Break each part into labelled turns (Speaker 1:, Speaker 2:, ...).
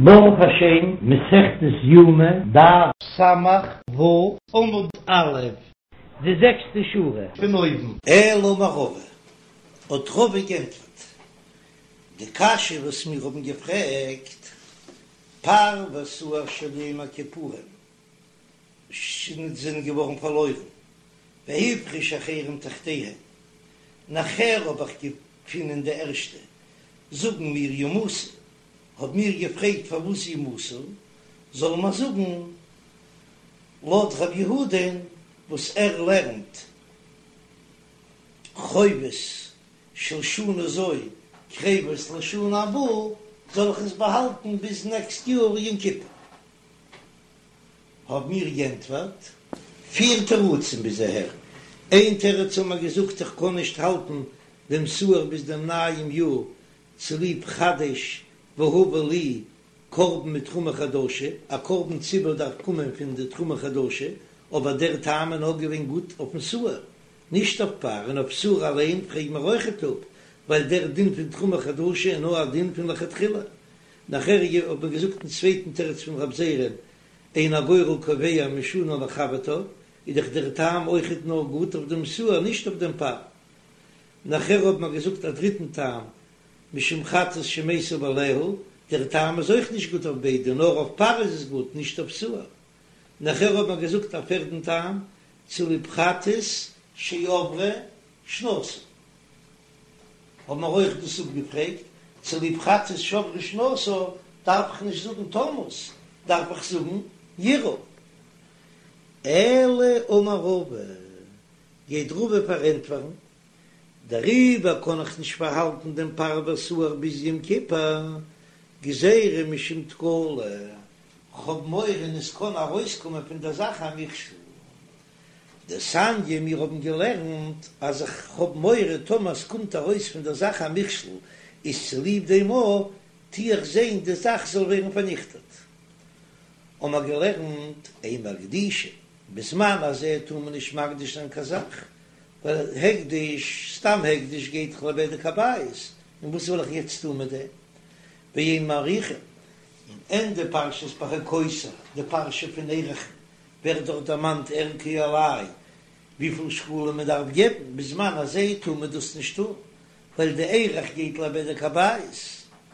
Speaker 1: ברוך השם, מסכת יומא, דף ס"ו, עמוד א', די זעקסטע שורה פון אויבן.
Speaker 2: אלא אמר רבא, האט רבא גענטפערט די קשיא וואס מיר האבן געפרעגט, פר ושעיר של יום הכיפורים זענען געווארן פארלוירן, והפריש אחרים תחתיהם, נאכער האב איך געפונען די ערשטע, זאגן מיר ימותו, האב מיר געפרעגט פארוואס ימותו, זאל מען זאגן לויט רב יהודה'ן וואס ער לערנט חובות של שנה זו קרבות לשנה הבאה, זאל איך עס באהאלטן ביז נעקסט יאר יום כיפור. האב מיר גענטפערט פיר תירוצים ביז אהער, איין תירוץ האבן מיר געזאגט איך קען נישט האלטן דעם שעיר ביז דעם נייעם יאר צוליב חדש והבא לי קרבן מתרומה חדשה, א קרבן ציבור דארף קומען פון די תרומה חדשה, אבער דער טעם איז נאר געווען גוט אויפן שעיר, נישט אויף פר, און אויף שעיר אליין פרעג מיר אויכעט אפ, ווייל דער דין פון תרומה חדשה איז נאר א דין פון לכתחילה. נאכער האט מען געזאגט דעם צווייטן תירוץ פון רב זירא'ן, אין הגורל קובע משנה לחברתה, איז דאך דער טעם אויכעט נאר גוט אויף דעם שעיר נישט אויף דעם פר. נאכער האט מען געזאגט א דריטן טעם, משום חטאת שמתו בעליה, דער טעם איז אויך נישט גוט אויף ביידע, נאר אויף פר איז עס גוט, נישט אויף שעיר. נאכער האט מען געזאגט א פערדן טעם, צוליב חטאת שעברה שנתה. האבן מיר אויך דאס אפגעפרעגט, צוליב חטאת שעברה שנתה דארף איך נישט זאגן תמות, דארף איך זאגן ירעה. אלא אמר רבא, גייט רבא פארענטפערן, דעריבער קען איך נישט פארהאלטן דעם פר ושעיר ביז יום כיפור, גזירה משום תקלה, כ'האב מורא און עס קען ארויסקומען פון דער זאך א מכשול. דתניא, מיר האבן געלערנט אז איך האב מורא טאמער עס קומט ארויס פון דער זאך א מכשול, איז צוליב דעם א טו איך זען די זאך זאל ווערן פארניכטעט. האבן מיר געלערנט אין מקדישין, בזמן הזה טאר מען נישט מקדיש זיין קיין זאך, ווייל הקדש, סתם הקדש גייט דאך לבדק הבית, און וואס וועל איך יעצט טון מיט דעם? ואין מעריכין, און ענדע פרשת בחוקותי, די פרשה פון ערכין, ווערט דארט דערמאנט ערכו עלי וויפיל שקלים מען דארף געבן, בזמן הזה טאר מען דאס נישט טון, ווייל די ערך גייט לבדק הבית,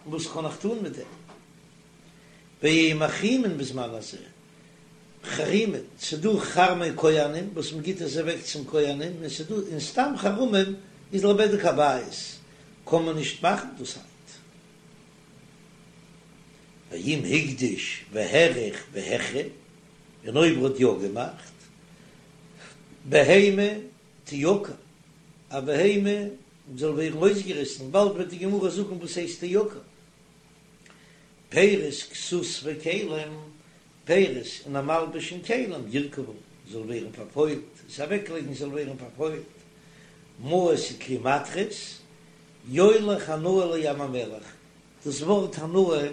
Speaker 2: און וואס קען איך טון מיט דעם? ואין מחרימין בזמן הזה, חרימין, ס'דא חרמי כהנים וואס מען גיט עס אוועק צום כהנים, און ס'דא און סתם חרמים איז לבדק הבית, קען מען נישט מאכן דאס היינט. ואם הקדיש והעריך והחרים, און אויב ער האט יא געמאכט, בהמה תעקר, א בהמה זאל ווערן אויסגעריסן, באלד וועט די גמרא זאגן וואס הייסט תעקר, פירות כסות וכלים, פירות און א מלבוש און כלים, ירקבו, זאל ווערן פארפוילט, עס אוועקלייגן זאל ווערן פארפוילט, מעות וכלי מתכות, יוליך הנאה לים המלח, דאס ווארט הנאה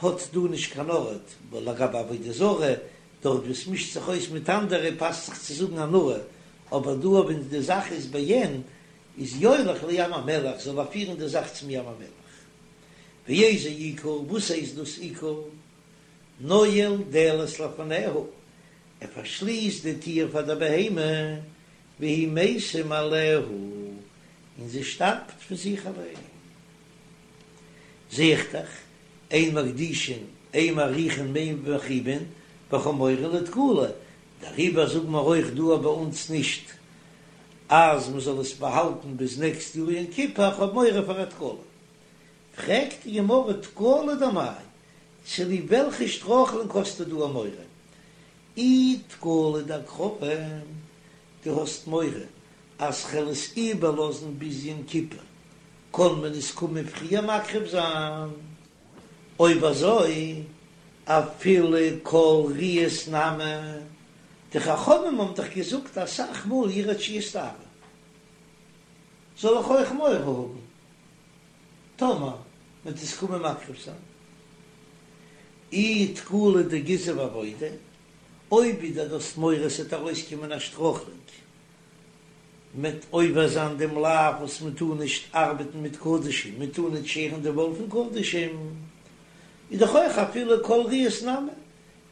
Speaker 2: האט דא נישט קיין ארט, ווייל לגבי עבודה זרה, דארט וואו עס מישט זיך אויס מיט אנדערע פאסט זיך צו זאגן הנאה, אבער דא אויב די זאך איז בעין, איז יוליך לים המלח, זאל ער פירן די זאך צום ים המלח. ואיזה עיקור, וואס הייסט דאס עיקור? נועל דלת לפניה, ער פארשליסט די טיר פאר דער בהמה, והיא מתה מאליה, און זי שטארבט פון זיך אליין. זע איך דאך, אין מקדישין, אין מעריכין ואין מחרימין, ווייל כ'האב מורא לתקלה, דעריבער זאגן מיר אויך דא ביי אונז נישט אז מען זאל עס באהאלטן ביז נעקסט יאר יום כיפור, כ'האב מורא פאר א תקלה. פרעגט די גמרא תקלה דמאי, צוליב וועלכע שטרויכלונג האסטו דא א מורא? אי תקלה דהקרבה, דו האסט מורא אז כ'על עס איבערלאזן ביז יום כיפור, קען מען עס קומען פריער מקריב זיין? אויב אזוי אפילו כל ראיות נמי, די חכמים האבן דאך געזאגט אסאך מאל ירעה עד שיסתאבו, זאל איך אויך מורא האבן טאמער מ'וועט עס קומען מקריב זיין? אי תקלה דגיזה ועבודה, אויב ווידער דו האסט מורא ס'וועט ארויסקומען א שטרויכלונג מ'וועט עובר זיין דעם לאו וואס מען טאר נישט ארבעטן מיט קדשים, מען טאר נישט שערן די וואל פון קדשים, איז דאך אויך אפילו כל ראיות נמי,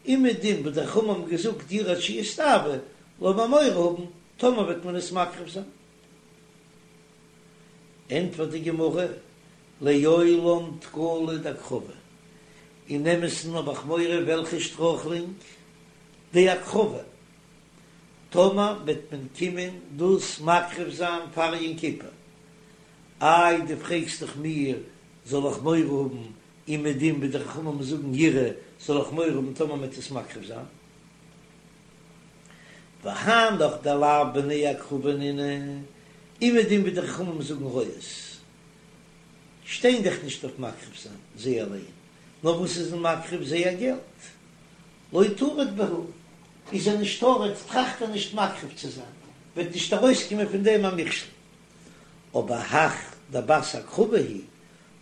Speaker 2: אומעדום וואס די חכמים האבן געזאגט יראה עד שישתאוה, לאמיר מורא האבן טאמער וועט מען עס מקריב זיין. ענטפערט די גמרא, לעולם תקלה דהקרבה, אין אמת'ן האב איך מורא וועלכע שטרויכלינג? דהקרבה, טאמער וועט מען קומען דאס מקריב זיין פאר יום כיפור, איי דו פרעגסט דאך מיר זאל איך מורא האבן אומעדום ווי די חכמים זאגן יראה זאל איך מורא האבן טאמער מען וועט עס מקריב זיין? והנך דלאו בני הקרבה נינהו, אומעדום ווי די חכמים זאגן רואות שטיין דאך נישט אויף מקריב זיין זיי אליין, נאר וואס איז מען מקריב זייער געלט, לא טריד בהו, איז ער נישט טרוד, טראכט ער נישט מקריב צו זיין, וועט נישט ארויסקומען פון דעם א מכשול. אבער הך דבת הקרבה היא,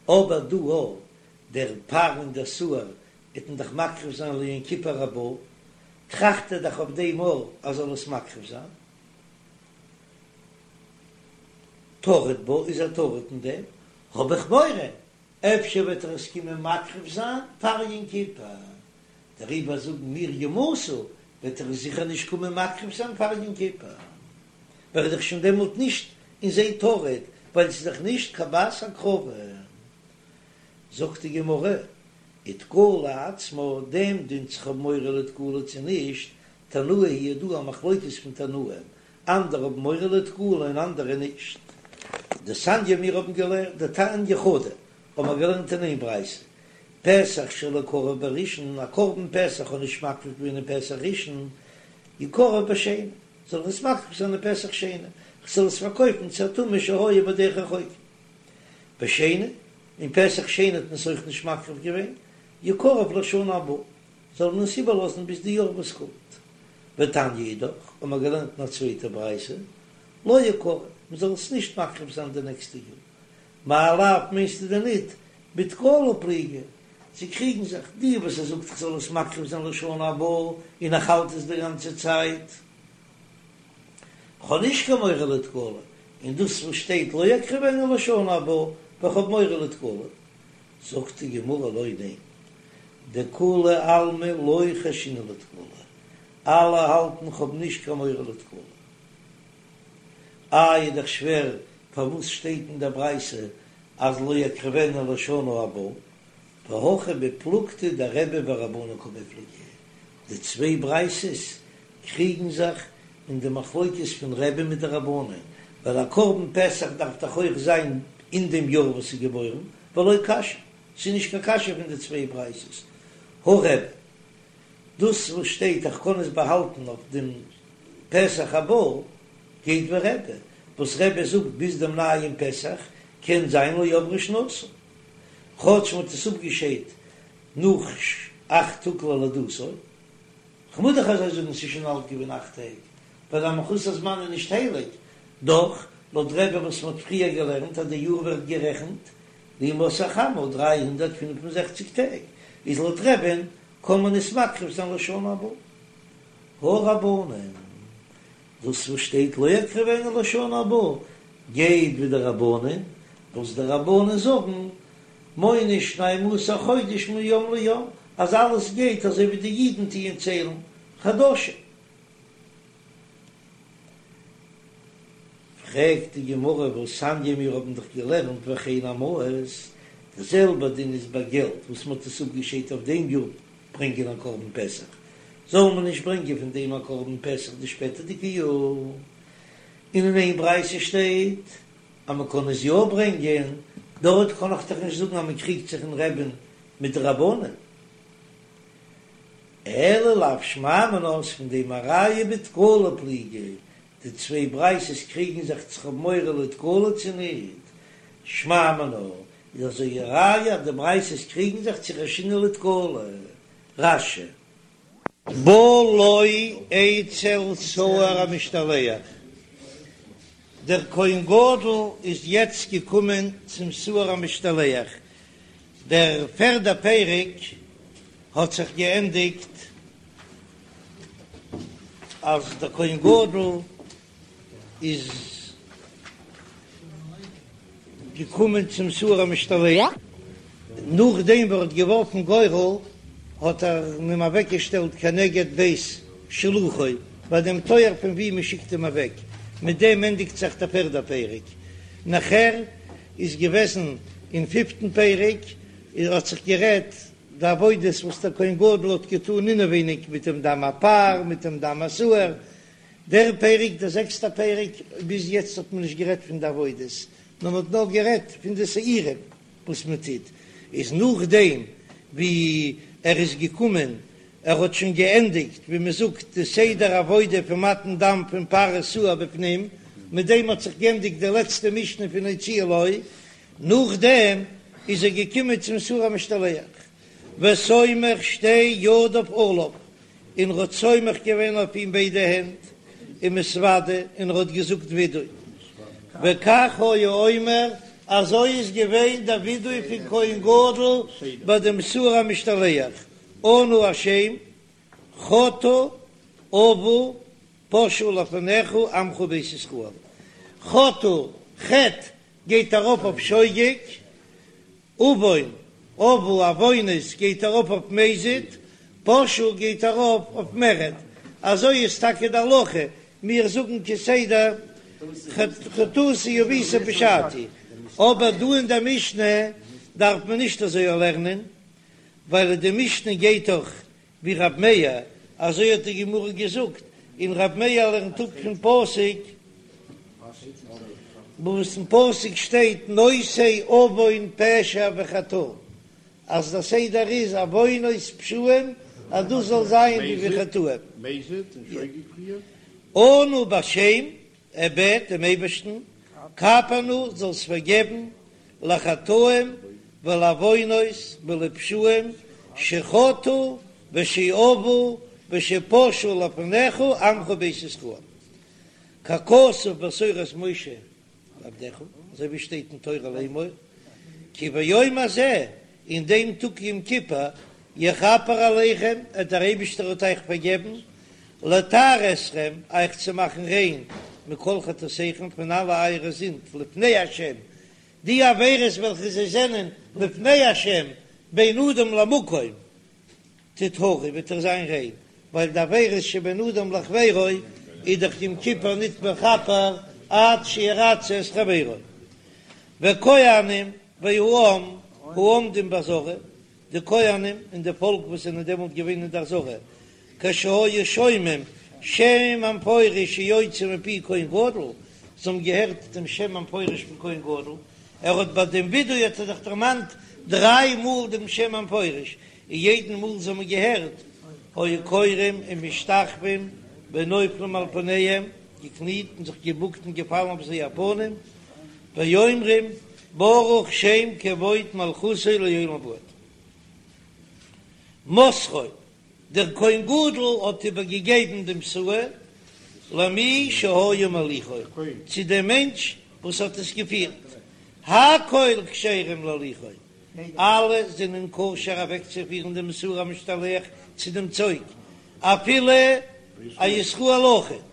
Speaker 2: אבער דא א, דער פר און דער שעיר וועט מען דאך מקריב זיין ליום כיפור הבא, טראכט ער דאך אויף דעם אויך אז זאל עס מקריב זיין. טריד בה, איז ער טרוד אין דעם, האב איך מורא, אפשר וועט ער עס קומען מקריב זיין פאר יום כיפור, דעריבער זאגן מיר יומתו, וועט ער עס זיכער נישט קומען מקריב זיין פאר יום כיפור, ווייל ער איז דאך שוין דעמאלט נישט אין זיי טרוד, ווייל עס איז דאך נישט קיין בת הקרבה. זאגט די גמרא, ותקלה עצמה, דעם דין צו כ'האב מורא לתקלה צו נישט, תנאי היא, דא א מחלוקת פון תנאים, אנדערע האבן מורא לתקלה און אנדערע נישט. דתניא מיר האבן געלערנט דתניא חדא האבן מיר געלערנט אין איין ברייתא, פסח שלא קרב בראשון, א קרבן פסח האט נישט מקריב געווען אין פסח ראשון, יקרב בשני, זאל ער עס מקריב זיין אין פסח שני, כ'זאל עס פארקויפן צו א טמא שהיה בדרך רחוקה. בשני, אין פסח שני האט מען עס אויך נישט מקריב געווען, יקרב לשנה הבאה, זאל מען עס איבערלאזן ביז די יאר וואס קומט. ותניא אידך, האבן מיר געלערנט אין א צווייטע ברייתא, לא יקרב, מען זאל עס נישט מקריב זיין די נעקסטע יאר. מאי לאו מיינסטו דען ניט בתקלה פליגי, זיי קריגן זיך, די וואס ער זאגט איך זאל עס מקריב זיין לשנה הבאה און איך האלט עס די גאנצע צייט, כ'האב נישט קיין מורא לתקלה, און דאס וואס שטייט לא יקריבנו לשנה הבאה, ווייל כ'האב מורא לתקלה. זאגט די גמרא לא, ניין, דכולי עלמא לא חיישינן לתקלה, אלע האלטן כ'האב נישט קיין מורא לתקלה. איי איז דאך שווער פארוואס שטייט אין דער ברייתא אז לא יקריבנו לשנה הבאה, והכא בפלוגתא דרבי ורבנן קמיפלגי, די צוויי ברייתות קריגן זיך אין די מחלוקת פון רבי מיט די רבנן, ווייל א קרבן פסח דארף דאך אויך זיין אין דעם יאר וואס איז געבוירן, ולא קשיא, ס'איז נישט קיין קשיא פון די צוויי ברייתות, הא רבי, דאס וואס שטייט איך קען עס באהאלטן אויף דעם פסח הבא, גייט ווי רבי, וואס רבי זאגט ביז דעם נייעם פסח קען זיין לא עברה שנתו, כאטש מ'האט עס אפגעשיידט נאך אכט טאג ללידתו. כ'מוז דאך אזוי זאגן ס'איז שוין אלט געווען אכט טעג, ווייל א מחוסר זמן איז נישט הייליג, דאך לויט רבי וואס מ'האט פריער געלערנט אז די יאר ווערט גערעכנט לימות החמה 365 טעג, איז לויט רבי'ן קען מען עס מקריב זיין לשנה הבאה. הא רבנן, דאס וואס שטייט לא יקריבנו לשנה הבאה גייט ווי די רבנן, וואס די רבנן זאגן מונה שנים עשר חודש מיום ליום, אז אלעס גייט אזוי ווי די אידן טוען ציילן חדשים. פרעגט די גמרא והתניא מיר האבן דאך געלערנט וכן המעות, די זעלבע דין איז ביי געלט וואס מען האט עס אפגעשיידט אויף דעם יאר ברענגען א קרבן פסח, זאל מען נישט ברענגען פון דעם א קרבן פסח די שפעטערדיגע יאר, און אין איין ברייתא שטייט אז מען קען עס יא ברענגען, דארט קען איך דאך נישט זאגן אז מען קריגט זיך אין רבי'ן מיט די רבנן. אלא לאו שמע מינה איז פון דעם א ראיה בתקלה פליגי, די צוויי ברייתות קריגן זיך צו כ'האב מורא לתקלה צו ניט, שמע מינה איז אזוי א ראיה אז די ברייתות קריגן זיך צו חיישינן לתקלה. רש"י. בא לו אצל שעיר המשתלח, דער כהן גדול איז יעצט געקומען צום שעיר המשתלח, דער פערדע פרק האט זיך געענדיגט אז דער כהן גדול איז געקומען צום שעיר המשתלח.
Speaker 1: נאכדעם וואס ער האט געווארפן גורל האט ער אים אוועקגעשטעלט כנגד בית שילוחו, ביי דעם טויער פון וואו מען שיקט אים אוועק, מיט דעם ענדיגט זיך דער פערדער פרק. נאכער איז געוועזן אין פיפטן פרק האט זיך גערעדט די עבודות וואס דער כהן גדול האט געטאן אינעווייניג מיט דעם דם הפר מיט דעם דם השעיר, דער פרק דער זעקסטער פרק ביז יעצט האט מען נישט גערעדט פון די עבודות נאר מען האט נאר גערעדט פון די שעירים וואס מען טוט, איז נאכדעם ווי ער איז געקומען ער האט שוין געענדיגט ווי מען זאגט די סדר עבודה פון מתן דם פון פר ושעיר בפנים, מיט דעם האט זיך געענדיגט די לעצטע משנה פון הוציאו לו, נאכדעם איז ער געקומען צום שעיר המשתלח, וסומך שתי ידיו עליו, און ר'האט סומך געווען אויף אים ביידע הענט, ומתודה, און ר'האט געזאגט וידוי. וכך היה אומר, אזוי איז געווען דער וידוי פון כהן גדול ביי דעם שעיר המשתלח, אנא השם, חטאו עוו פשעו לפניך עמך בית ישראל. חטאו, חטא, גייט ארויף אויף שוגג, עוון, עוו, עוונות גייט ארויף אויף מזיד, פשעו גייט ארויף אויף מרד, אזוי איז טאקע די הלכה, מיר זאגן כסדר חטאתי עויתי פשעתי, אבער דא אין דער משנה דארף מען נישט אזוי לערנען, ווייל די משנה גייט דאך ווי רב מאיר, אזוי האט די גמרא געזאגט, און רב מאיר לערנט אפ פון פסוק, וואס אין פסוק שטייט נושא עוון פשע וחטאה, אז דער סדר איז עוונות פשעים אז דאס זאל זיין ווי וחטאים. אנא בשם, ער בעט דעם אייבערשטן, כפר נא, זאלסט פארגעבן, לחטאים ולעוונות ולפשעים שחטאו ושעוו ושפשעו לפניך עמך בית ישראל, ככתוב בתורת משה עבדך, אזוי ווי שטייט אין תורה לאמור, כי ביום הזה, אין דעם טאג יום כיפור, יכפר עליכם, עט דער אייבישטער וועט אייך פארגעבן, לטהר אתכם, אייך צו מאכן ריין, מכל חטאתיכם, פון אלע אייערע זינד, לפני השם, די עבירות וועלכע זיי זענען לפני השם, בין אדם למקום, תטהרו, וועט איר זיין ריין, ווייל די עבירות שבין אדם לחבירו איז דאך יום כיפור ניט מכפר עד שירצה את חברו. וכהנים והעם העומדים בעזרה, די כהנים און די פאלק וואס זענען דעמאלט געווען אין דער עזרה, כשהיו שומעים שם המפורש שיוצא מפי כהן גדול, זיי האבן געהערט דעם שם המפורש פון כהן גדול, ער האט ביי דעם וידוי האט ער זיך דערמאנט דריי מאל דעם שם המפורש, און יעדן מאל זיי האבן געהערט, היו כורעים ומשתחווים ונופלים על פניהם, געקניט און זיך געבוקט און געפאלן אויף זייער פנים, ואומרים ברוך שם כבוד מלכותו לעולם ועד. מוסרו, דער כהן גדול האט איבערגעגעבן דעם שעיר למי שהיה מוליכו, צו דעם מענטש וואס האט עס געפירט, הכל כשרים להוליכו, אלע זענען כשר אוועקצופירן דעם שעיר המשתלח צו דעם צוג, אפילו א ישראל אויכעט,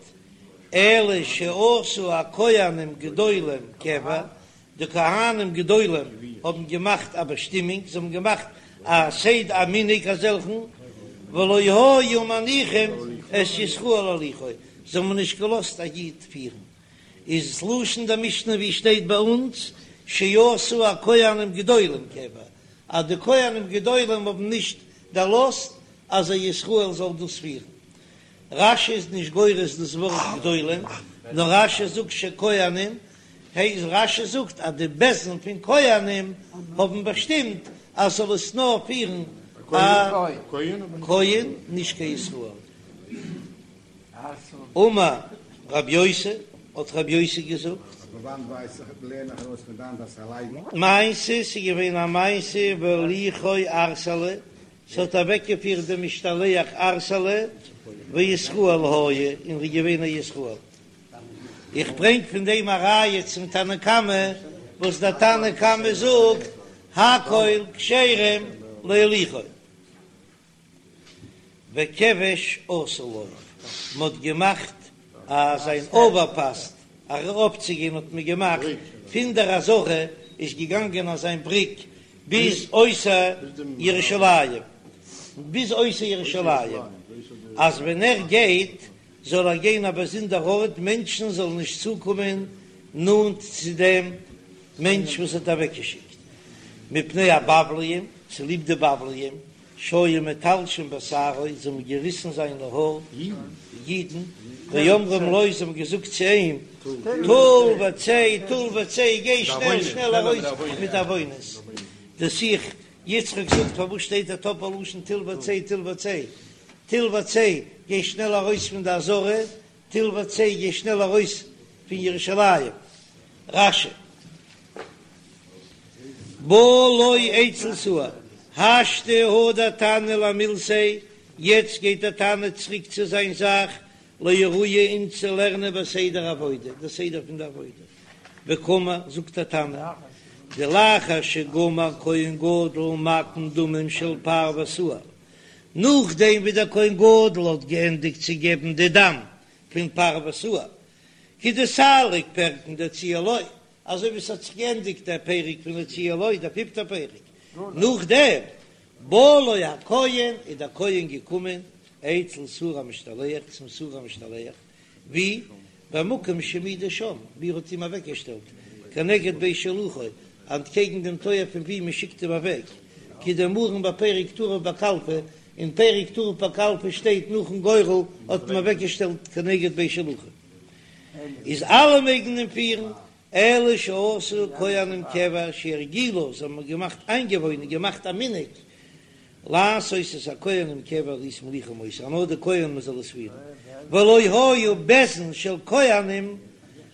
Speaker 1: אלא שעשו הכהנים גדולים קבע, די כהנים גדולים האבן געמאכט א באשטימונג, זיי האבן געמאכט א סדר א מנהג אזעלכן, ולא היו מניחים את ישראל להוליכו, זיי האבן נישט געלאזט א איד פירן, איז לשון די משנה ווי שטייט ביי אונז שעשו הכהנים גדולים קבע, אז די כהנים גדולים האבן נישט דערלאזט אז א ישראל זאל דאס פירן. רש"י איז נישט גורס דאס ווארט גדולים, נאר רש"י זאגט שכהנים, הייסט רש"י זאגט אז די בית דין פון כהנים האבן באשטימט אז זאל עס נאר פירן א כהן נישט קיין ישראל. אמר רב יוסי, האט רב יוסי געזאגט. מעשה, ס'איז געווען א מעשה והוליכו ערסלא, ס'האט אוועקגעפירט דעם משתלח ערסלא, וישראל היה, און ר'איז געווען א ישראל. איך ברענג פון דעם א ראיה צום תנא קמא, וואס דער תנא קמא זאגט הכל כשרים להוליכו. וכבש עשו לו, מען האט געמאכט אזא אווערפאס אראפצוגיין האט מען געמאכט, פון דער עזרה איז געגאנגען אזא בריק. ביז אויסער ירושלים, ביז אויסער ירושלים, אז ווען ער גייט זאל ער גיין א באזונדער ארט, מענטשן זאלן נישט צוקומען נאנט צו דעם מענטש וואס האט אוועקגעשיקט, מפני הבבליים, צוליב די בבליים, שהיו מתלשים בשערו, זיי האבן געריסן זיינע האר, אידן, ואומרים לו, זיי האבן געזאגט צו אים, טול וצא, טול וצא, גיי שנעל שנעל ארויס מיט די עוונות. דער שיח יצחק זאגט, פארוואס שטייט דער טאפל לשון טול וצא, טול וצא, טול וצא, גיי שנעל ארויס פון די עזרה, טול וצא, גיי שנעל ארויס פון ירושלים. רש"י. בא לו אצל שעיר, השתא הדר תנא למילתיה, יעצט גייט דער תנא צוריק צו זיין זאך, לאורויי אונז צו לערנען בסדר עבודה, די סדר פון די עבודה, וקאמר, זאגט דער תנא, דלאחר שגמר כהן גדול מתן דמים של פר ושעיר, נאכדעם ווי דער כהן גדול האט געענדיגט צו געבן די דם פון פר ושעיר, כדסליק פרקין דהוציאה לו, אזוי ווי ס'האט זיך געענדיגט דער פרק פון הוציאה לו, דער פיפטער פרק, נאכדעם בא לו הכהן, איז דער כהן געקומען אצל שעיר המשתלח, צום שעיר המשתלח, ווי? במקום שהעמידו שם, ווי ער האט אים אוועקגעשטעלט, כנגד בית שילוחו, אנטקעגן דעם טויער פון ווי מען שיקט אים אוועק, כדאמרן בפרק טרף בקלפי, אין פרק טרף בקלפי שטייט נאכן גורל האט מען אוועקגעשטעלט כנגד בית שילוחו. איז אלע מעגן אים פירן, אלא שעשו כהנים קבע שהרגילו, זיי האבן געמאכט איינגעוואוינען, געמאכט א מנהג, לעשות את הכהנים קבע להיות מוליכים אותו, אז נאר די כהנים זאל עס פירן, ולא היו בית דין של כהנים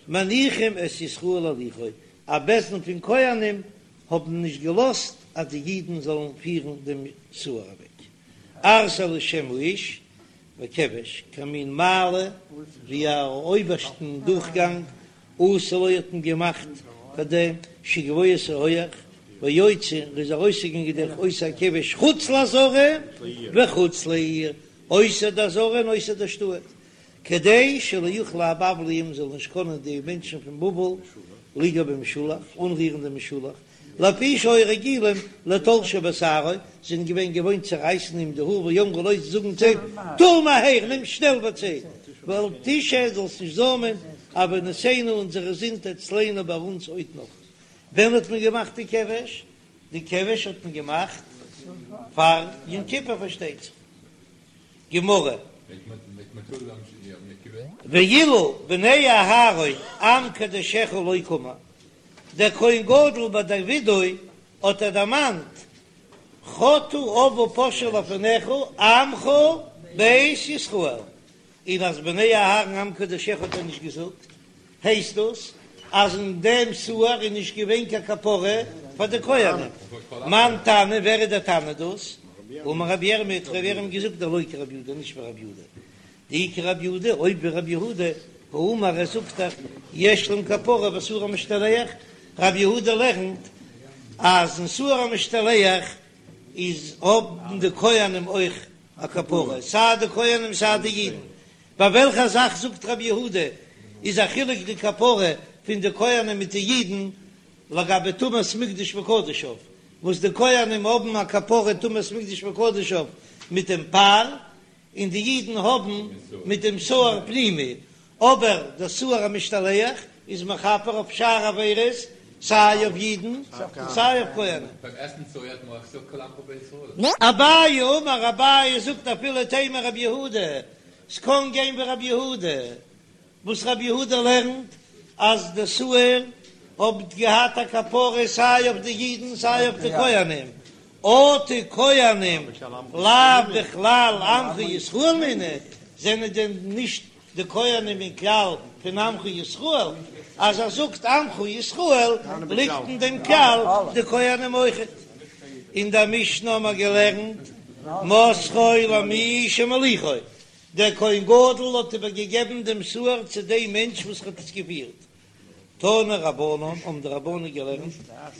Speaker 1: מניחים את ישראל להוליכו, א בית דין פון כהנים האבן נישט געלאזט אז די אידן זאלן פירן דעם שעיר אוועק, ערסלו שם האיש, וכבש, כמין מעלה, ווי א אויבערשטן דורכגאנג, עשו לו האט מען געמאכט פאר דעם שגבוה ס'איז הויעך, ויוצא ער איז ארויסגעגאנגען דורך אותו הכבש חוץ לעזרה וחוץ לעיר, אויסער די עזרה און אויסער די שטאט, כדי שלא יוכלו הבבליים זאלן נישט קענען די מענטשן פון בבל ליגע במשולח, אנרירן דעם משולח, לפי שהיו רגילים לתלשו בשערו, זיי זענען געווען געוואוינט צו רייסן אים די האר ויאמרו לו זאגן צו אים, טול מהר, נעם שנעל וצא, ואל תשהה, זאלסט נישט זוימען, עונותינו אונזערע זינד אצלנו ביי אונז עוד נאך. ווען האט מען געמאכט די כבש? די כבש האט מען געמאכט פאר יום כיפור פארשטייט זיך. גמרא. ואילו בני אהרן עם קדשך לא קאמר, דער כהן גדול ביי דער ווידוי האט ער דערמאנט חטאו עוו ופשעו לפניך עמך בית ישראל, און אז בני אהרן עם קדשך האט ער נישט געזאגט, הייסט דאס אז אין דעם שעיר איז נישט געווען קיין כפרה פאר די כהנים. מאן תנא, ווער איז דער תנא דאס? אמר רבי ירמי', האט רבי ירמי' געזאגט דלא כרבי יהודה, נישט ווי רבי יהודה, דאי כרבי יהודה, אויב ווי רבי יהודה, האמר ער זאגט דאך יש להם כפרה בשעיר המשתלח, רבי יהודה לערנט אז אין שעיר המשתלח איז האבן די כהנים אויך א כפרה, סיי די כהנים סיי די אידן, ביי וועלכע זאך זאגט רבי יהודה איז א חילוק די כפרה פון די כהנים מיט די אידן לגבי טומאת מקדש וקדשיו, וואס די כהנים האבן א כפרה טומאת מקדש וקדשיו מיט דעם פר, און די אידן האבן מיט דעם שעיר פנימי, אבער דער שעיר המשתלח איז מכפר אויף שאר עבירות, סיי אויף אידן און סיי אויף כהנים. אביי אמר, אביי זאגט אפילו תימא רבי יהודה, ס'קען גיין ווי רבי יהודה, וואס רבי יהודה לערנט אז די שעיר האט געהאט א כפרה סיי אויף די אידן סיי אויף די כהנים, אטו כהנים לאו בכלל עמך ישראל נינהו, זענען דען נישט די כהנים אין כלל פון עמך ישראל? אז ער זאגט עמך ישראל ליגט אין דעם כלל די כהנים אויכעט. אין דער משנה האבן מיר געלערנט מסרו למי שמוליכו, דער כהן גדול האט איבערגעגעבן דעם שעיר צו דעם מענטש וואס האט עס געפירט. תנו רבנן, האבן די רבנן געלערנט,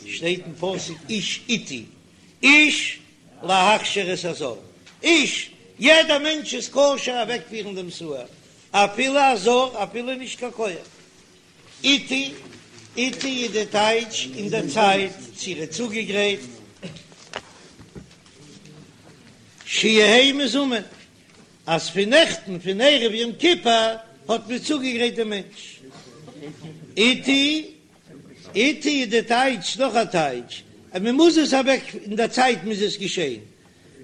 Speaker 1: שטייט אין פסוק איש עתי, איש להכשיר את הזר, איש, יעדער מענטש איז כשר אוועקפירן דעם שעיר, אפילו א זר, אפילו נישט קיין כהן. עתי, עתי איז די טייטש אין דער צייט, צו ער איז צוגעגרייט. שיהא מזומן, אז פון נעכטן פון ערב יום כיפור האט מען צוגעגרייט דעם מענטש. עתי, עתי איז די טייטש, נאך א טייטש, אז מען מוז עס אוועק אין דער צייט מוז עס געשען,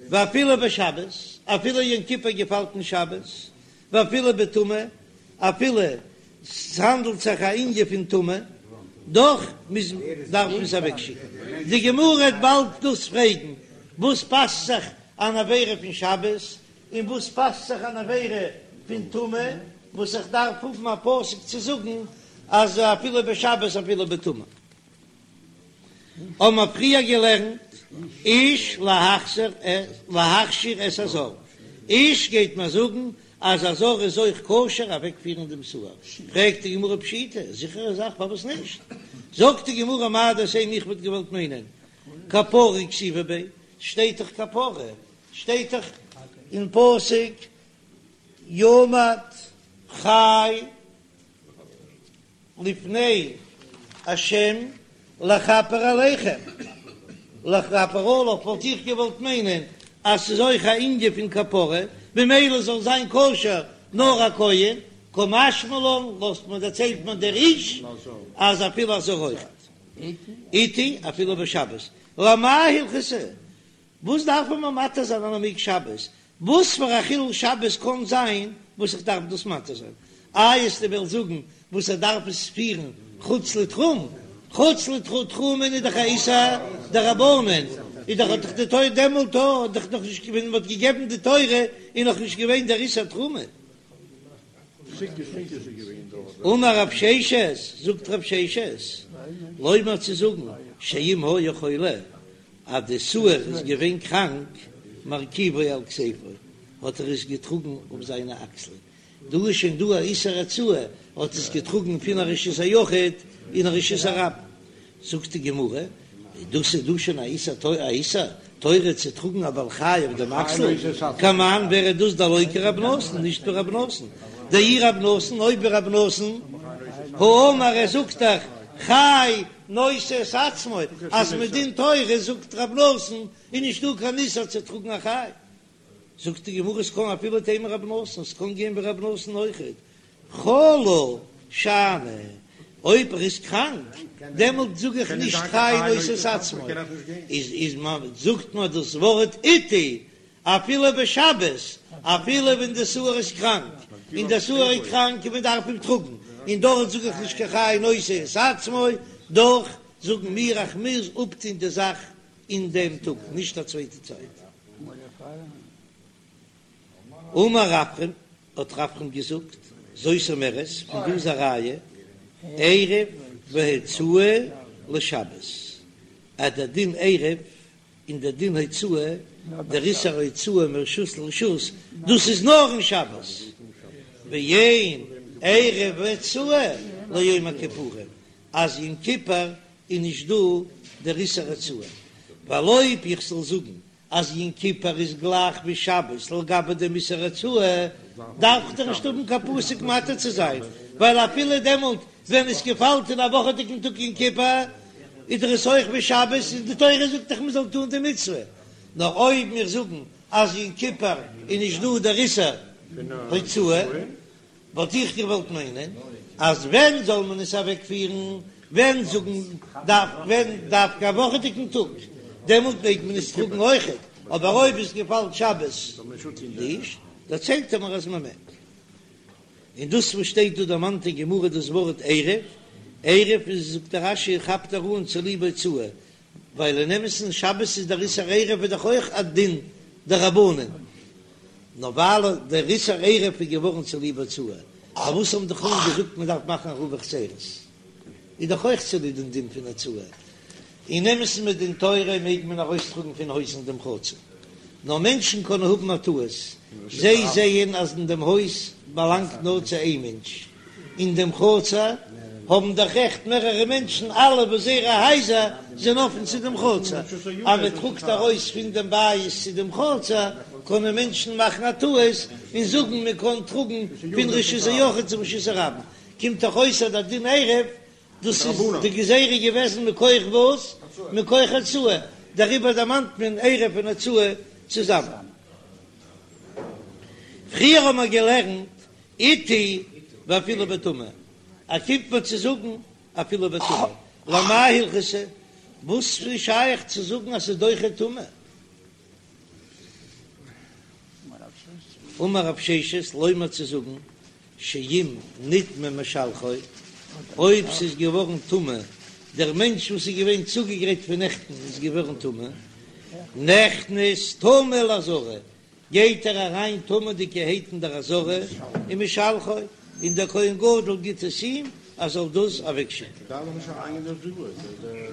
Speaker 1: ואפילו בשבת, אפילו יום כיפור געפאלט אין שבת, ואפילו בטומאה, אפילו ס'האנדלט זיך א ענין פון טומאה, דאך מוז דארף מען עס אוועקשיקן. די גמרא וועט באלד דאס פרעגן, וואס פאסט זיך אן עבירה פון שבת, און וואס פאסט זיך אן עבירה פון טומאה, וואס איך דארף האבן א פסוק צו זאגן אז אפילו בשבת אפילו בטומאה. האבן מיר פריער געלערנט איש להכשיר את הזר, איש גייט מיר זאגן אז א זר איז אויך כשר אוועקפירן דעם שעיר, פרעגט די גמרא פשיטא, זיכערע זאך פארוואס נישט? זאגט די גמרא מהו דתימא איך וואלט געוואלט מיינען כפרה כתיבא ביה, שטייט דאך כפרה, שטייט דאך אין פסוק יעמד חי לפני השם לכפר עליכם, לכפר עליו וואלט איך געוואלט מיינען אז ס'איז אויך א ענין פון כפרה, ממילא זאל זיין כשר נאר א כהן, קא משמע לן לאזט מען דערציילט מען דער איש אז אפילו א זר אויכעט. עתי אפילו בשבת, למאי הלכתא? וואס דארף מען מתיר זיין אז מען מעג שבת? וואס פאר א חילול שבת קען זיין וואס איך דארף דאס מתיר זיין? איי וועסטו וועלן זאגן וואס ער דארף עס פירן חוץ לתחום? חוץ לתחום איז דאך א איסור דרבנן, איז דאך האט דאך די תורה דעמאלט האט דאך נאך נישט ווען מען האט געגעבן די תורה איז נאך נישט געווען דער איסור תחומין. אמר רב ששת, זאגט רב ששת, לומר צו זאגן שאם היה חולה אז די שעיר איז געווען קראנק, מרכיבו על כתפו, האט ער עס געטראגן אויף זיינע אקסלען, דא איז שוין דא א איסור הוצאה, האט עס געטראגן פון א רשות היחיד אין א רשות הרבים, זאגט די גמרא, דאס איז דא שוין א איסור א איסור תורה צו טראגן א בעל חי אויף דעם אקסל, כמאן ווער איז דאס דלא כרבי נתן, נישט ווי רבי נתן, דאי רבי נתן, אויב ווי רבי נתן, האמר ער זאגט דאך חי נושא את עצמו, אז מדין תורה זאגט רב נתן איז נישט דא קיין איסור צו טראגן א חי, זאגט די גמרא ס'קען אפילו תימא רב נתן, ס'קען גיין ווי רב נתן אויכעט, חלה שאני, אויב ער איז קראנק דעמאלט זאג איך נישט חי נושא את עצמו, איז איז זאגט מען דאס ווארט עתי אפילו בשבת, אפילו ווען די שעיר איז קראנק, און די שעיר איז קראנק און מען דארף אים טראגן, און דארט זאג איך נישט קיין חי נושא את עצמו, דאך זאגן מיר איך מוז אפטון די זאך אין דעם טאג, נישט א צווייטע צייט. אמר רפרם, האט רפרם געזאגט, זאת אומרת, פון דא איז א ראיה, עירוב והוצאה לשבת, אז דער דין עירוב און דער דין הוצאה, דער איסור הוצאה מרשות לרשות, דאס איז נאר אין שבת, ואין עירוב והוצאה ליום הכיפורים, אז יום כיפור איז נישט דא דער איסור הוצאה, ווייל אויב איך זאל זאגן אז יום כיפור איז גלייך ווי שבת לגבי דעם איסור הוצאה, דארף איך דאך נישט האבן קיין פסוק מתיר צו זיין, ווייל אפילו דעמאלט ווען עס געפאלט אין א וואכעדיגן טאג יום כיפור, איז דאך עס אויך ווי שבת, און די תורה זאגט דאך מען זאל טון די מצוה. נאר אויב מיר זאגן אז יום כיפור איז נישט דא דער איסור הוצאה, וואלט איך געוואלט מיינען אז ווען זאל מען עס אוועקפירן, ווען זאגן דארף ווען דווקא א וואכעדיגן טאג, דעמאלט מעג מען עס טראגן אויכעט, אבער אויב עס געפאלט שבת נישט, דערציילט ער מיר אז מען מעג. און דאס וואס שטייט דא דערמאנט אין גמרא דאס ווארט עירוב, עירוב איז זאגט דער רש"י כאפט ער אן צוליב הוצאה, ווייל אין אמת'ן שבת איז דער איסור עירוב איז דאך אויך א דין דרבנן, נאר ווייל דער איסור עירוב איז געווארן צוליב הוצאה, פארוואס האבן די חכמים געזאגט מען דארף מאכן עירובי חצירות, איז דאך אויך צוליב דעם דין פון הוצאה, אין אמת'ן מדין תורה מעג מען ארויסטראגן פון הויז אין דעם חצר, נאר מענטשן קענען האבן א טעות, זיי זעען אז אין דעם הויז באלאנגט נאר צו איין מענטש, אין דעם חצר האבן דאך רעכט מערערע מענטשן, אלע וואס זייערע הייזער זענען אפן צו דעם חצר, אז מען טראגט ארויס פון דעם בית צו דעם חצר, קענען מענטשן מאכן א טעות און זאגן מען קען טראגן פון רשות היחיד צום רשות הרבים, קומט דאך אויס אז דער דין עירוב דאס איז די גזירה געוועזן מכח וואס? מכח הוצאה, דעריבער דערמאנט מען עירוב און הוצאה צוזאמען. פריער האבן מיר געלערנט אתי ואפילו בטומאה, ער קומט מיר צו זאגן אפילו בטומאה, למאי הלכתא, וואס איז שייך צו זאגן אז ס'איז דוחה טומאה? אמר רב ששת, לומר צו זאגן שאם נטמא משלחו, אויב ס'איז געווארן טמא, דער מענטש וואס איז געווען צוגעגרייט פון נעכטן איז געווארן טמא, נכנס טמא לעזרה, גייט ער אריין טמא'דיגערהייט אין דער עזרה ומשלחו, און דער כהן גדול גיט עס אים ער זאל דאס אוועקשיקן.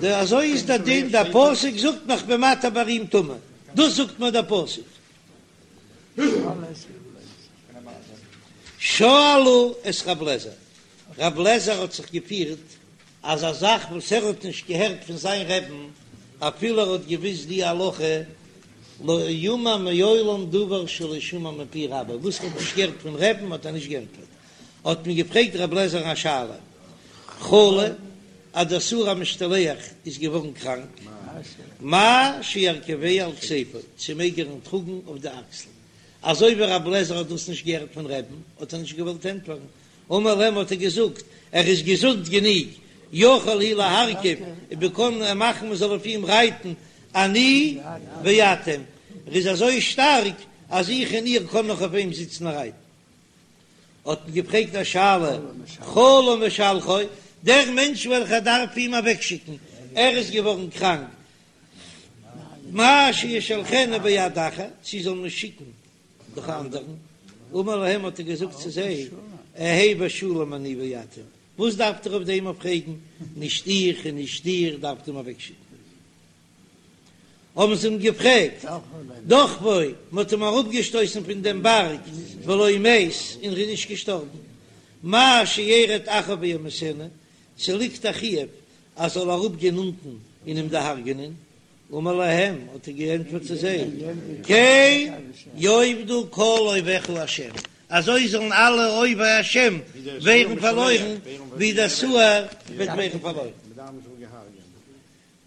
Speaker 1: אזוי איז דער דין, דער פסוק זאגט מיר כ'בין מתיר ביי אים טומאה, דאס זאגט מיר דער פסוק. שאלו את רב לעזער, רב לעזער האט זיך געפירט אז א זאך וואס ער האט נישט געהערט פון זיין רעבן, אפילו ער האט געוויסט די הלכה, לא יאמר מעולם דבר שלא שמע מפי רבו, וואס ער האט נישט געהערט פון רעבן האט ער נישט געענטפערט. האט מען געפרעגט רב לעזער'ן א שאלה, חלה, אז דער שעיר המשתלח איז געווארן קראנק, מהו שירכיבהו על כתפו, צו מעג ער אים טראגן אויף די אקסל? אזוי ווי רב לעזער האט דאס נישט געהערט פון רעבן, האט ער נישט געוואלט ענטפערן, אמר להם האט ער געזאגט, ער איז געזונט גענוג, יכול הוא להרכיב, און מען קען מאכן מען זאל אויף אים רייטן, אני ואתם, ער איז אזוי שטארק אז איך און איר קען נאך אויף אים זיצן און רייטן. האט מען געפרעגט א שאלה, חלה משלחו, דער מענטש וועלכער דארף אים אוועקשיקן, ער איז געווארן קראנק, מהו שישלחנו ביד אחר, צו זאל מען שיקן דורך א אנדערן, אמר להם האט ער געזאגט צו זיי, אהא בשלום אני ואתם, וואס דארפט איר אויף דעם אויף פרעגן, נישט איך און נישט איר דארפט אים אוועקשיקן. האבן זיי אים געפרעגט, דחפו, מען האט אים אראפגעשטויסן פון דעם בארג, ולא מת, און ער איז נישט געשטארבן, מהו שירד אחריו וימיתנו, צו ליגט א חיוב אז זאל אראפגיין אונטן און אים דערהרגענען, אמר להם, האט ער געענטפערט צו זיי, כן יאבדו כל אויביך השם, אזוי זאלן אלע אויבי השם ווערן פארלוירן, ווי דער שעיר וועט ווערן פארלוירן.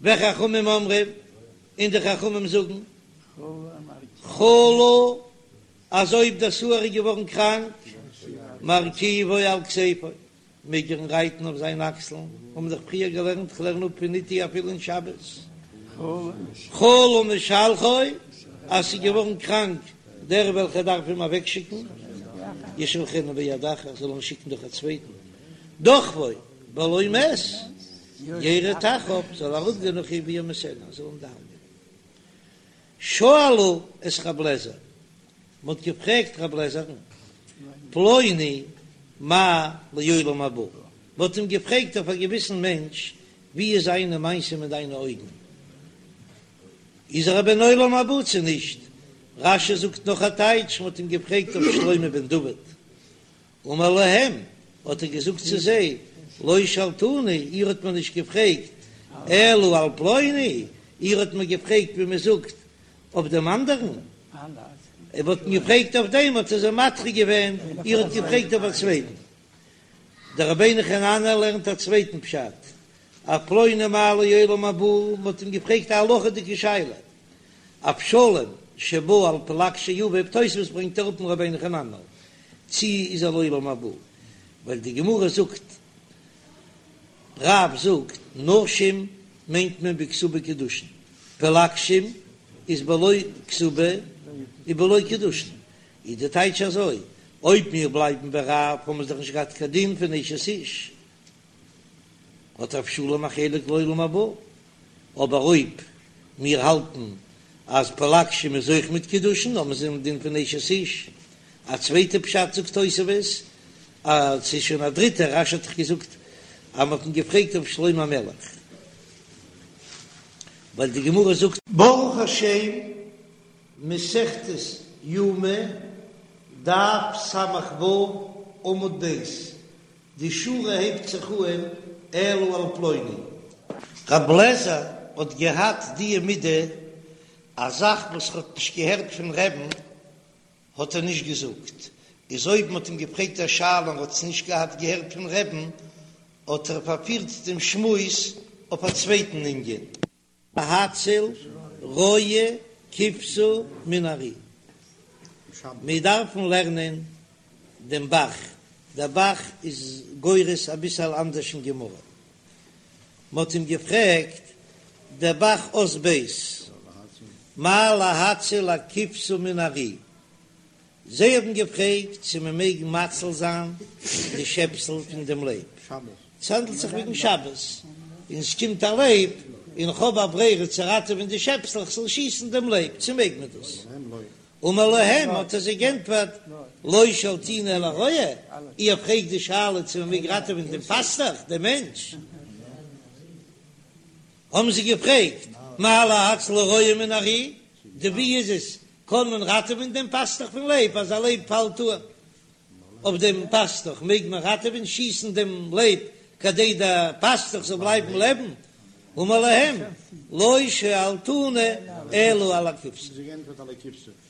Speaker 1: וחכמים אומרים, און די חכמים זאגן, חלה, אז אויב דער שעיר איז געווארן קראנק, מרכיבו על כתפו, מעג ער רייטן אויף זיין אקסלן, האבן מיר דאך פריער געלערנט, כ'לערן אפ פון אתי אפילו אין שבת. חלה משלחו, אז ס'איז געווארן קראנק דער וועלכער דארף אים אוועקשיקן, ישלחנו ביד אחר, זאל אים שיקן דורך א צווייטן, דחפו ולא מת, ירד אחריו, זאל אראפגיין נאך אים וימיתנו, זאל אים דערהרגענען. שאלו את רב לעזער, מען האט געפרעגט רב לעזער'ן, פלוני מה לעולם הבא, מען האט אים געפרעגט אויף א געוויסן מענטש, ווי איז זיינע מעשים אין דיינע אויגן, איז ער א בן עולם הבא צו נישט? רש"י זאגט נאך א טייטש, מען האט אים געפרעגט אויף שלמה בן דוד, אמר להם, האט ער געזאגט צו זיי, לא שאלתוני, איר האט מיר נישט געפרעגט, אלא על פלוני, איר האט מיר געפרעגט ווי מען זאגט אויף דעם אנדערן, איר האט מיר געפרעגט אויף דעם, האט ער זיי מדחה געווען, איר האט געפרעגט אויף א צווייטן. דער רבינו חננאל לערנט א צווייטן פשט, אויף פלוני מה לעולם הבא, מען האט אים געפרעגט א הלכה'דיגע שאלה, אבשלום שבא על פלגשי אביו, תוספות ברענגט אראפ אין רבינו חננאל, צי איז ער לעולם הבא, ווייל די גמרא זאגט, רב זאגט, נשים מיינט מען בכתובה קידושין, פלגשים איז בלא כתובה ובלא קידושין, איז די טייטש אזוי, אויב מיר בלייבן ביי רב האבן מיר דאך נישט געהאט קיין דין פון אשת איש, האט אבשלום א חלק לעולם הבא, אבער אויב מיר האלטן אז פלגשים איז אויך מיט קידושין האבן זיי דעם דין פון אשת איש. א צווייטע פשט זאגט תוספות אז ס'איז שוין א דריטע, רש"י האט דאך געזאגט אז מ'האט אים געפרעגט אויף שלמה המלך, ווייל די גמרא זאגט.
Speaker 2: ברוך השם, מסכת יומא, דף ס"ו, עמוד ב', די שורה הייבט זיך אהן אלא על פלוני.
Speaker 1: רב לעזער האט געהאט די מידה, א זאך וואס ער האט נישט געהערט פון רעבן האט ער נישט געזאגט, איז אויב מ'האט אים געפרעגט א שאלה און ער האט עס נישט געהאט געהערט פון רעבן האט ער פארפירט דעם שמועס אויף א צווייטן ענין. להציל רועה כבשה מן הארי. מיר דארפן לערנען דעם ב"ח, דער ב"ח איז גורס אביסעל אנדערש אין גמרא. מ'האט אים געפרעגט, דער ב"ח אות ב', מהו להציל הכבשה מן הארי, זיי האבן געפרעגט צו מען מעג מציל זיין די שעפסל פון דעם לייב, ס'האנדלט זיך וועגן שבת, און ס'קומט א לייב, און כ'האב א ברירה צו ראטעווען די שעפסל, איך זאל שיסן דעם לייב, צו מעג מען דאס? אמר להם, האט ער זיי גענטפערט, לא שאלתוני אלא הרועה, איר פרעגט די שאלה צו מען מעג ראטעווען דעם פאסטעך, דעם מענטש, האבן זיי געפרעגט, מהו להציל הרועה מן הארי, די ווי איז עס, קען מען ראטעווען דעם פאסטעך פון לייב, אז א לייב פאלט אן אויף דעם פאסטוך מעג מען ראטעווען, שיסן דעם לייב כדי דער פאסטוך זאל בלייבן לעבן, אמר להם לא שאלתוני אלא על הכבשה.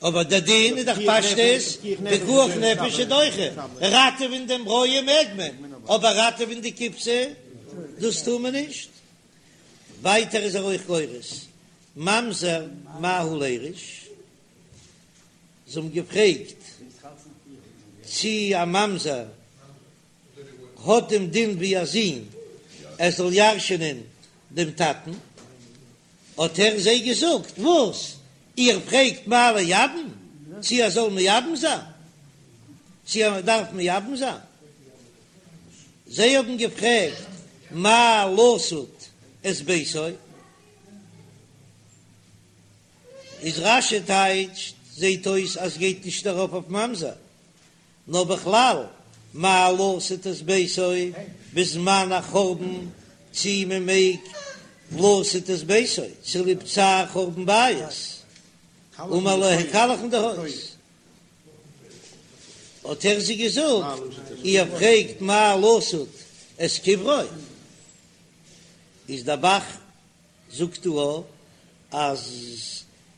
Speaker 1: אבער דער דין איז דאך פשטות, פיקוח נפש איז דוחה, ראטעווען דעם רועה מעג מען, אבער ראטעווען די כבשה דאס טאר מען נישט. ווייטער איז ער אויך גורס ממזר מהו לירש. זיי האבן געפרעגט צי א ממזר האט דעם דין ווי א זון ער זאל ירש'ענען דעם טאטן, האט ער זיי געזאגט, וואס? איר פרעגט מהו לייבם צי ער זאל מייבם זיין? צי ער דארף מייבם זיין? זיי האבן געפרעגט מהו לסוד את ביתו. איז רש"י טייטשט, זעהט אויס אז גייט נישט ארויף אויף ממזר, נאר בכלל מהו לסוד את ביתו בזמן החורבן, צי מען מעג לסוד את ביתו צוליב צער חורבן בית, אמר להם קאלעכן די הויז, האט ער זיי געזאגט, איר פרעגט מהו לסוד את קברו, איז דער ב"ח זאגט דא אז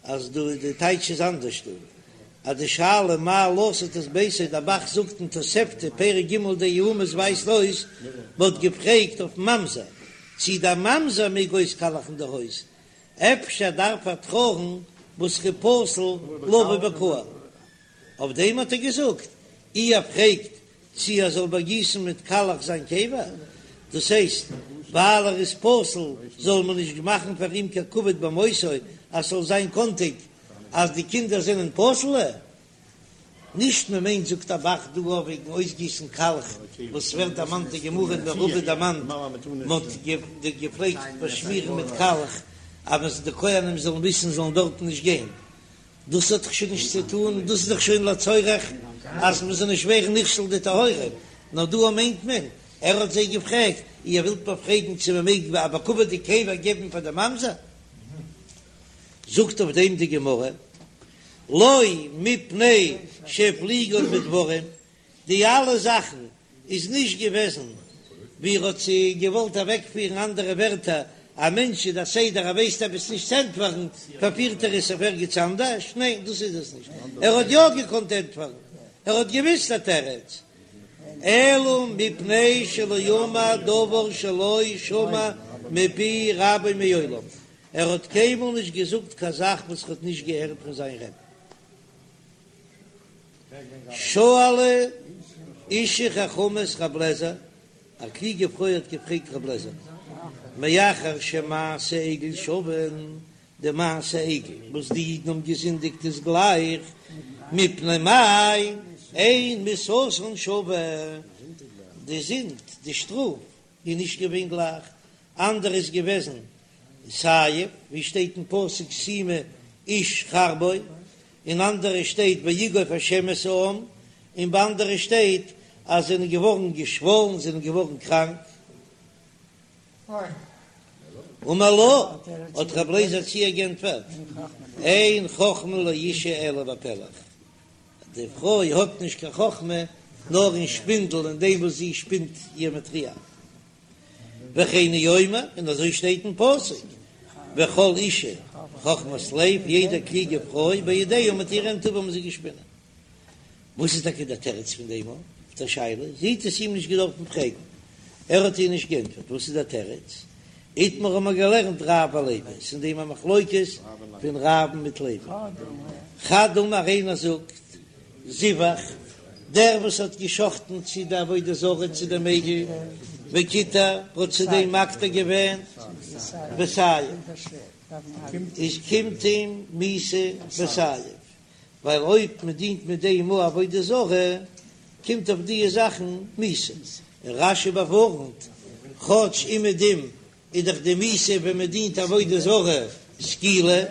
Speaker 1: אז דא די טייטש איז אנדערש דא, אז די שאלה מהו לסוד את ביתו, דער ב"ח זאגט אין תוספתא פרק ג' די יבמות ווייזט אויס מ'האט געפרעגט אויף ממזר צי דער ממזר מעג אויסקאלעכן די הויז, אפשר דארף ער טרויערן וואס איז פסול לבוא בקהל, אויף דעם האט ער געזאגט איר פרעגט צי ער זאל באגיסן מיט קאלעך זיין קבר, דאס הייסט ווייל ער איז פסול זאל מען נישט מאכן פאר אים קיין כבוד במותו אז ס'זאל זיין קאנטיג אז די קינדער זענען פסול'ע, נישט מען מיינט זאגט דער ב"ח דא אויף וועגן אויסגיסן קאלעך וואס ווערט דערמאנט אין גמרא און רבא דערמאנט מען האט געפלעגט באשמירן מיט קאלעך אז די כהנים זאלן וויסן זאלן דארטן נישט גיין. דאס האט דאך שוין נישט צו טון, דאס איז דאך שוין לצורך אז מען זאל נישט ווערן נכשל די טהורים, נאר דא מיינט מען, ער האט זיי געפרעגט, איר ווילט מיר פרעגן צו מען מעג א בכבוד'יג קבר געבן פאר די ממזר? זאגט אויף דעם די גמרא, לא מפני שהפליגן בדברים, די אלע זאכן איז נישט געוועזן ווי ער האט זיי געוואלט אוועקפירן, אנדערע ווערטער, א מענטש איז דער סדר ער ווייסט עפעס נישט צו ענטפערן פארפירט ער עס אויף ערגעץ אנדערש, ניין דאס איז עס נישט, ער האט יא געקאנט ענטפערן, ער האט געוויסט א תירוץ, אלא מפני שלא אמר דבר שלא שמע מפי רבו מעולם, ער האט קיינמאל נישט געזאגט קיין זאך וואס ער האט נישט געהערט פון זיין רבי. שאלה אשה חכמה את רב לעזער, א קלוגע פרוי האט געפרעגט רב לעזער, מאחר שמעשה עגל שווין, די מעשה עגל וואס די אידן האבן געזינדיגט איז גלייך, מפני מה אין מיתתן שווה, די זינד, די שטראף, איז נישט געווען גלייך, אנדערע איז געוועזן סייף, ווי שטייט אין פסוק שימה איש חרבו, און אנדערע שטייט ויגוף השם את העם, און ביי אנדערע שטייט אז זיי זענען געווארן געשוואלן, זענען געווארן קראנק. אמר לה, האט רב לעזער צו איר גענטפערט, אין חכמה לאשה אלא בפלך, די פרוי האט נישט קיין חכמה נאר אין שפינדל, אין דעם וואס זי שפינט איר מאטריאל. וכן הוא אומר, און אזוי שטייט אין פסוק, וכל אשה חכמת לב, יעדע קלוגע פרוי בידיה מיט איר הענט טווה האבן זיי געשפינען. וואס איז טאקע דער תירוץ פון דעם אויף דער שאלה? זי האט עס אים נישט געדארפן פרעגן, ער האט איר נישט געענטפערט. וואס איז דער תירוץ? איתמר האבן מיר געלערנט רב ולוי, ס'איז אין דעם א מחלוקת פון רב'ן מיט לוי. חד אמר איינער זאגט. זבח, דער וואס האט געשחטן צו די עבודה זרה צו דעם עגל, וקיטר, האט צו דעם מקטיר געווען בסייף, איז קומט אים מיתה בסייף, ווייל אויב מען דינט מיט דעם אן עבודה זרה, קומט אויף דיע זאכן מיתה. און רש"י באווארנט, כאטש אומעדום איז דאך די מיתה ווען מען דינט עבודה זרה סקילה,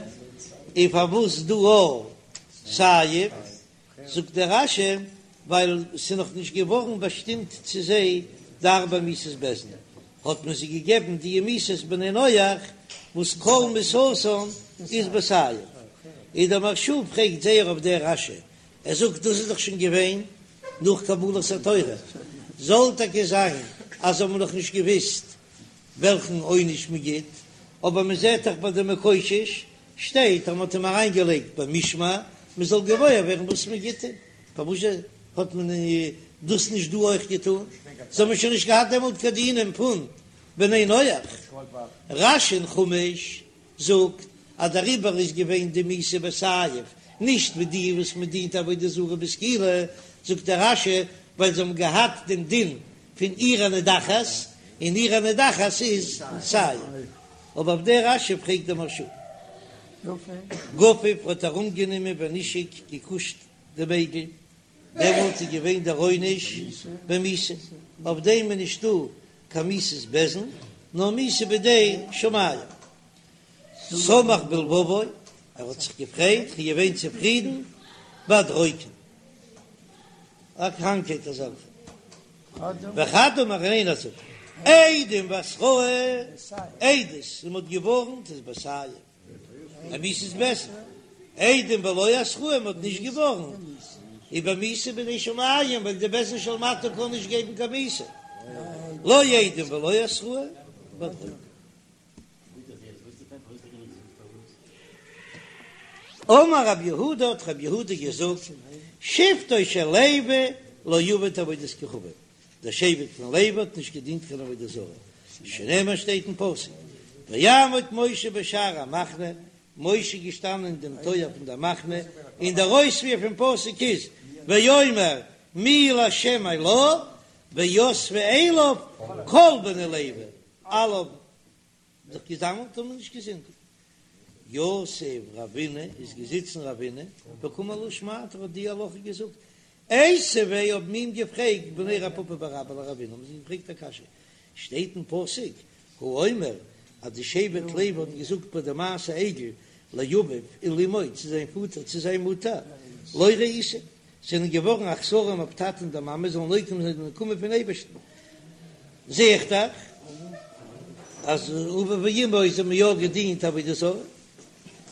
Speaker 1: און פארוואס דא אויך סייף? זאגט דער רש"י, ווייל ס'איז נאך נישט געווארן באשטימט צו זיי די ארבע מיתות בית דין, האט מען זיי געגעבן די מיתות בני נח וואס כל מיתתן איז בסייף. און דער מהרש"א פרעגט זייער אויף דער רש"י, ער זאגט דאס איז דאך שוין געווען נאך קבלת התורה, זאל טאקע זיין אז זיי האבן נאך נישט געוויסט וועלכן עונש מען גיט, אבער מען זעט דאך ביי די מקושש שטייט אז מען האט אים אריינגעלייגט במשמר מען זאל געוואויר ווערן וואס מען גיט אים, פארוואס האט מען דאס נישט דא אויך געטון? זיי האבן שוין נישט געהאט דעמאלט קיין דינים פון בני נח. רש"י אין חומש זאגט אז דעריבער איז געווען די מיתה בסייף, נישט ווי די וואס מען דינט עבודה זרה בסקילה, זאגט דער רש"י ווייל זיי האבן געהאט דעם דין פון עיר הנידחת, און עיר הנידחת איז סייף. אבער אויף דער רש"י פרעגט דער מהרש"א. גפף האט ארומגענומען ונישק געקושט דעם עגל, דעמאלט איז געווען דער עונש במיתה, אויף דעם איז נישטא קיין מיתת בית דין, נאר מיתה בידי שמים. שמח בלבבו, ער האט זיך געפרייט, ער איז געווען צופרידן, באדרוקן, א קראנקהייט אזעלכע. וחד אמר און איינער זאגט, עדים והתראה, עדות און מ'האט געווארנט איז בסייף, א מיתת בית דין, עדים ולא התראה מ'האט נישט געווארנט, איז במיתה בידי שמים, ווייל די בית דין של מטה קען נישט געבן קיין מיתה, לא עדים ולא התראה, באדרוקן. אמר רב יהודה האט רב יהודה געזאגט, שבטו של לוי לא עבד עבודת כוכבים, דער שבט פון לוי האט נישט געדינט קיין עבודה זרה, שנאמר שטייט אין פסוק, ויעמוד משה בשער המחנה, משה איז געשטאנען אין דעם טויער פון דער מחנה, און דער אויספיר פון פסוק איז, ויאמר מי לה' אלי, ויאספו אליו כל בני לוי, אלע האבן זיך געזאמלט און נישט געזינדיגט. יתיב רבינא איז געזיצן רבינא וקאמר להא שמעתא האט די הלכה געזאגט. איתיביה האבן אים געפרעגט בני רב פפא בר אבא לרבינא האבן זיי געפרעגט א קשיא שטייט אין פסוק האומר אז די שבט לוי האבן געזאגט ביי די מעשה עגל לאביו ולאמו צו זיין פאטער צו זיין מוטער לא ראיתם זענען געווארן אכזרים אויף טאטע און די מאמע זאלן נוקם זיין די נקמה פון אייבערשטן, זע איך דאך אז אביו ואמו זיי האבן יא געדינט עבודה זרה.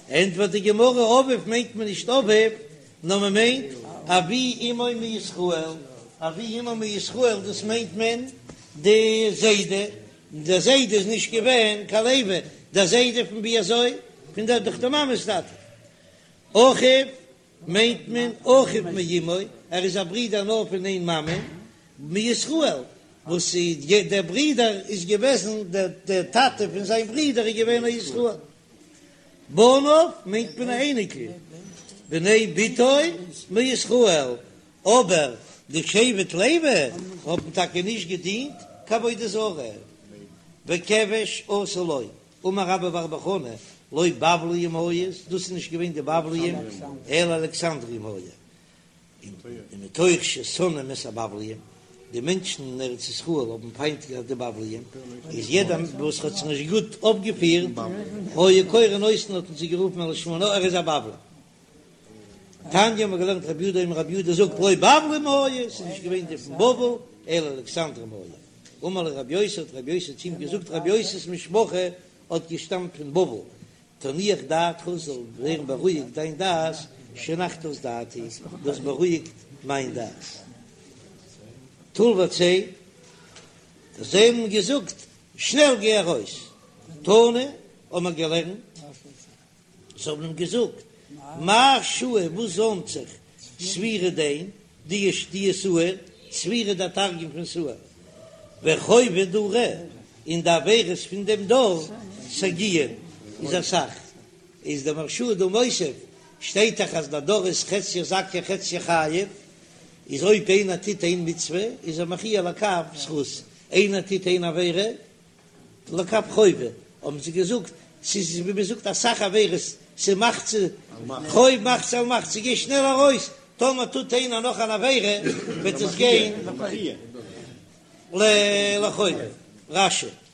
Speaker 1: ענטפערט די גמרא, אביו מיינט מען נישט אביו, נאר מען מיינט אבי אמו מישראל, אבי אמו מישראל דאס מיינט מען די זיידע, דער זיידע איז נישט געווען קיין לוי, דער זיידע פון ווי אזוי? פון דער דורך די מאמע'ס טאטע. אחיו מיינט מען אחיו מאמו, ער איז א ברודער נאר פון איין מאמע, מישראל, וואס דער ברודער איז געוועזן, דער טאטע פון זיין ברודער איז געווען א ישראל. בניו מיינט מען א אייניקל, בני בתו מישראל, אבער די שבט לוי האבן טאקע נישט געדינט קיין עבודה זרה, וכבש עשו לו, אמר רבה בר בר חנה, לא בבליים היו, דאס איז נישט געווען די בבליים, אלא אלכסנדריים היו, ומתוך ששונאים את הבבליים, די מענטשן אין ארץ ישראל האבן פיינט געהאט די בבליים, איז יעדער וואס האט זיך נישט גוט אויפגעפירט, היו קורין אותן האט מען זיי גערופן על שמם, ער איז א בבלי. תניא האבן מיר געלערנט רבי יהודה אומר רבי יהודה זאגט לא בבלים היו, ס'איז נישט געווען די פון בבל, אלא אלכסנדרים היו. אמר לו רבי יוסי האט רבי יוסי צו אים געזאגט רבי יוסי'ס משפחה האט געשטאמט פון בבל, תנוח דעתך זאל ווערן בארואיגט דיין דעת, שהנחת את דעתי, דו האסט בארואיגט מיין דעת. טול וצא, זיי האבן געזאגט שנעל גיי ארויס, תנא האבן מיר געלערנט. זיי האבן אים געזאגט, מאי שעי וואס זוימט זיך ספירי דין, די די שעיר, ספירי דער תרגום פון שעיר, וחובי דרא, און די עבירות פון דעם דור סגיאין איז אסאך, איז דער מהרש"א דא מוסיף. שטייט דאך אז דער דר איז חציה זכאי חציה חייב, איז אויב איינער טוט איין מצוה איז ער מכריע לכף זכות, איינער טוט איין עבירה לכף חובה, האבן זיי געזאגט, ס'איז ווי מען זאגט אסאך עבירות, ס'איז מחצה חוב מחצה על מחצה, גיי שנעל ארויס, טאמער טוט איינער נאך אן עבירה וועט עס גיין לחובה. רש"י.